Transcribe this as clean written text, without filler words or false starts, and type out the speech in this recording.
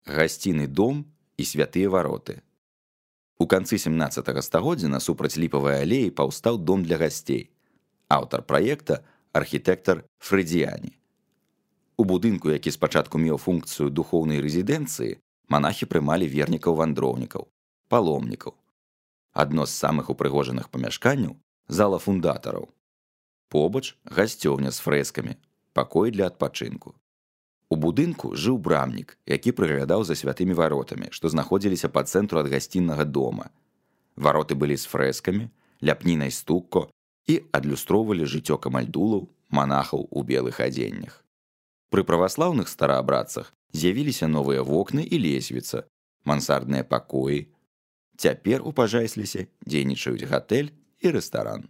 гасціны дом і святыя вароты. У канцы 17 стагоддзя насупраць ліпавай алеі паўстаў дом для гасцей. Аўтар праекта архітэктар Фрэдзіяні. У будынку, які спачатку меў функцыю духоўнай рэзідэнцыі, манахі прымалі вернікаў-вандроўнікаў, паломнікаў. Адно з самых упрыгожаных памяшканняў – зала фундатараў. Побач гасцёўня з фрэскамі, пакой для адпачынку. У будынку жыў брамнік, які прыглядаў за святымі варотамі, што знаходзіліся па цэнтру ад гасціннага дома. Вароты былі з фрэскамі, ляпнінай стукко і адлюстроўвалі жыццё камальдулаў, манахаў у белых адзеннях. Пры праваслаўных стараабрадцах з'явіліся новыя вокны і лесвіца, мансардныя пакоі. Цяпер у Пажайслісе дзейнічаюць гатэль і рэстаран.